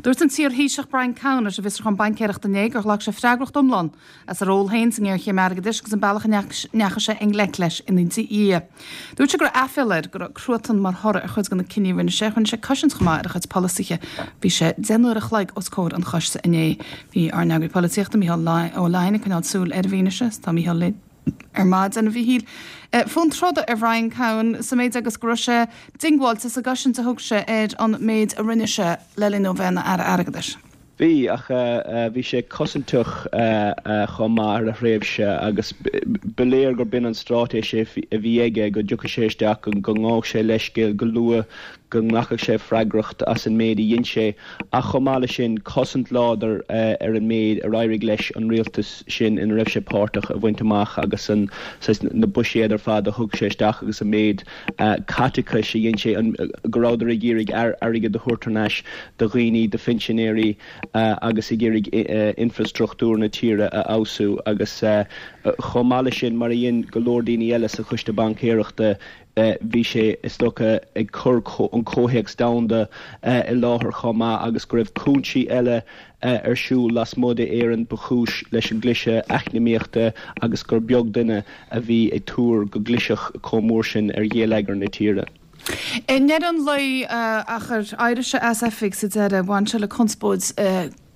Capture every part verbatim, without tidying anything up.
Dúirt an t-iar-Thaoiseach Brian Cowen leis an bhFiosrúchán Baincéireachta inné gur ghlac sé freagracht iomlán as a ról féin sa ngéarchéim airgeadais agus an bealach a ndeachaigh sé i ngleic leis ina dhiaidh. Dúirt sé go raibh aiféala air go raibh cruatan mar thoradh ar chuid de na cinní a rinne sé, rinne sé cosaint chomh maith ar a chuid polasaithe. Bhí sé deich n-uair a chloig os comhair an choiste inné. Bhí ár n-eagraí polaitíochta Micheál Ó Leidhin ag coinneáil súil ar an bhfianaise, tá Micheál linn ar maidin a Mhichíl. Fonn troda ar Bhrian Cowen sa méid agus go raibh sé diongbháilte sa gcosaint a thug sé ar an méid a rinne sé le linn dó bheith ina aire airgeadais. Bhí ach bhí sé cosantach chomh maith ar a thréimhse agus ba léir gur b'in an straitéis a bhí aige go dtiocfadh sé isteach go ngabhfadh sé leithscéal go luath go nglacfadh sé freagracht as an méid a dhein sé ach chomh maith leis sin cosaint láidir ar an méid ar éirigh leis an rialtas sin ina raibh sé páirteach a bhaint amach agus an na buiséid ar fad a thug sé isteach agus an méid caiteachais a dhein sé go rabhadar ag iarraidh airgead a thabhairt thar n-ais do dhaoine do phinsinéirí agus ag iarraidh infrastruchtúr na tíre a fheabhsú agus chomh maith leis sin mar a dhein go leor daoine eile sa choiste baincéireachta bhí sé is dócha ag cur an comhthéacs domhanda i láthair chomh maith agus go raibh cúinsí eile ar siúl lasmuigh d'Éirinn ba chúis leis an gcliseadh eacnamaíochta agus gur beag duine a bhí ag tuar go gclisfeadh chomh mór sin ar gheilleagar na tíre. I ndeireadh an lae ach ar éirigh sé as oifig sa deireadh, bhain sé le conspóid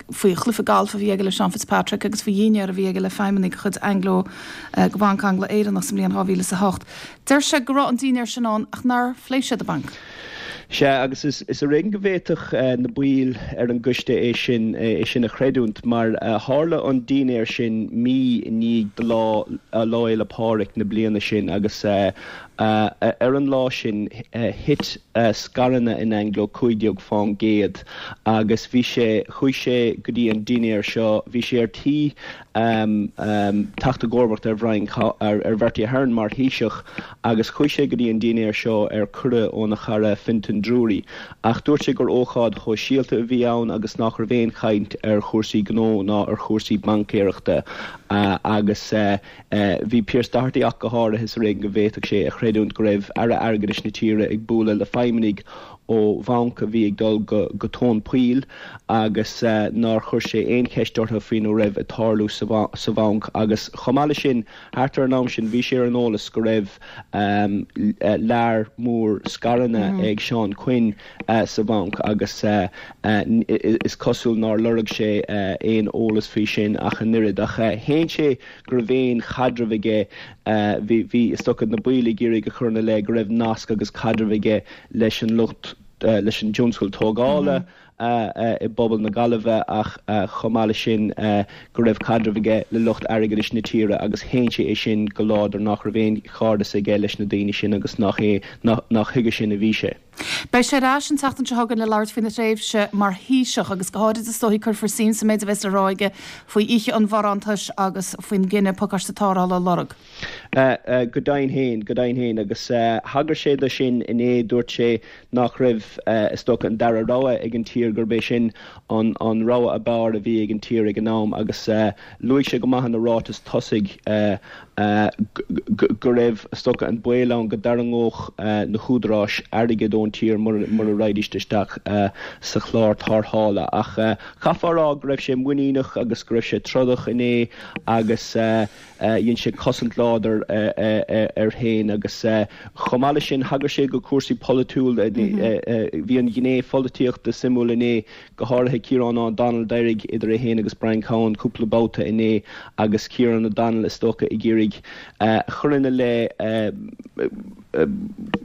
faoi chluiche galf a bhí aige le Sean Fitzpatrick agus faoi dhinnéar a bhí aige le feidhmeannaigh de chuid Anglo de Bhanc Angla-Éireannach sa mbliain dhá mhíle is a hocht. Deir sé go raibh an dinnéar sin ann ach nár phléigh siad an banc. Sea, agus is is ar éigean go bhféadfadh na baill ar an gcoiste é sin é sin a chreidiúint mar tharla an dinnéar sin mí i ndiaidh do lá Lá Fhéile Pádraig na bliana sin agus ar an lá sin thit scaireanna in Anglo cúig déag fán gcéad agus bhí sé chuaigh sé go dtí an dinnéar seo bhí sé ar tí teacht i gcomharbacht ar Bhrian ar Bhertie Ahern mar Thaoiseach agus chuaigh sé go dtí an dinnéar seo ar cuireadh óna chara Fintan Drury ach dúirt sé gur ócáid shóisialta a bhí ann agus nach raibh aon chaint ar chúrsaí gnó ná ar chúrsaí baincéireachta agus bhí Pearse Doherty ach go háirithe is ar éigean go bhféadfadh sé a chreidiúint go raibh aire airgeadais na tíre ag bualadh le feidhmeannaigh ó bhanc a bhí ag dul go go tóin poill agus nár chuir sé aon cheist orthu faoina raibh ag tarlú sa bhanc agus chomh maith leis sin thart ar an am sin bhí sé ar an eolas go raibh lear mór scaireanna ag Seán Quinn sa bhanc agus is cosúil nár lorg sé aon eolas faoi sin ach an oiread ach shéan sé go raibh aon chaidreamh aige bhí bhí is dócha na baill ag iarraidh a chur ina leith go raibh nasc agus caidreamh aige leis an lucht leis an tionscal tógála i bpobal na Gaillimhe ach chomh maith leis sin go raibh caidreamh aige le lucht airgeadais na tíre agus shéan sé é sin go láidir nach raibh aon chairdeas aige leis na daoine sin agus nach é nach chuige sin a bhí sé. Beidh sé ar ais an tseachtain seo chugainn le labhairt faoina thréimhse mar Thaoiseach agus go háirid is dóigh cuirfear suim sa méid a bheas le rá aige faoi oíche an bharántais agus faoin gcinneadh pacáiste tarrthála a lorg. Go deimhin féin, go deimhin féin agus thagair sé do sin inné, dúirt sé nach raibh is dócha an dara rogha ag an tír gurb é sin an an rogha ab fhearr a bhí ag an tír ag an am agus luaigh sé go maith ina ráiteas tosaigh go raibh is dócha an baol ann go dtarraingeodh na húdaráis airgead ón tír mura raghaidís isteach sa chlár tarrthála ach chaithfeá a rá go raibh sé muiníneach agus go raibh sé trodach inné agus dhein sé cosaint láidir air féin agus chomh maith leis sin thagair sé go cúrsaí polaitiúla bhí an ghné pholaitíochta suimiúil inné go háirithe Kieran O'Donnell d'éirigh idir é féin agus Brian Cowen cúpla babhta inné agus Kieran O'Donnell is dócha ag iarraidh chur ina leith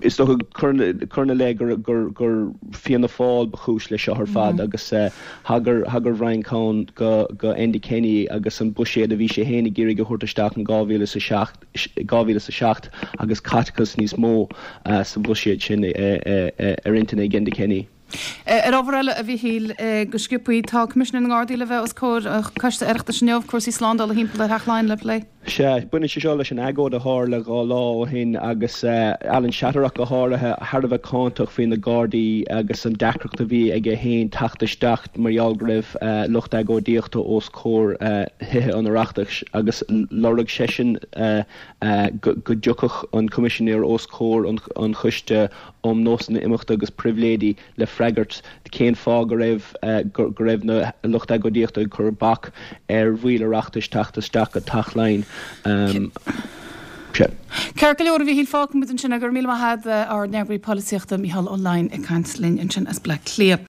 is dócha cur ina leith gur gur gur Fianna Fáil ba chúis leis seo ar fad agus thagair thagair Brian Cowen go go Enda Kenny agus an buiséad a bhí sé féin ag iarraidh a thabhairt isteach in dhá mhíle is a seacht dhá mhíle is a seacht agus caiteachas níos mó sa bhuiséad sin ar intinn ag Enda Kenny. Ar ábhar eile a Mhichíl, go sciobtha, tá Coimisinéir na nGardaí le bheith os comhair Coiste Oireachtais inniu, cúrsaí slándála thimpeall ar Theach Laighean le plé. Sea, baineann sé seo leis an agóid a tharla dhá lá ó shin agus Alan Shattock go háirithe thar a bheith cáinteach faoi na Gardaí agus an deacracht a bhí aige féin teacht isteach mar gheall go raibh lucht agóidíochta os comhair Thithe an Oireachtais agus lorg seisean go dtiocfadh an Coimisinéir os comhair an Choiste um Nósanna Imeachta agus Pribhléidí le freagairt cén fáth go raibh go raibh na lucht agóidíochta ag cur bac ar bhaill Oireachtais teacht isteach go Teach Laighean. Um, Ceart go leor a Mhíchíl fágfaidh muid ansin go raibh míle maith agat ár n-eagraí polaitíochta Mícheál Ó Laighin ag caint linn ansin as Bleá Cliath.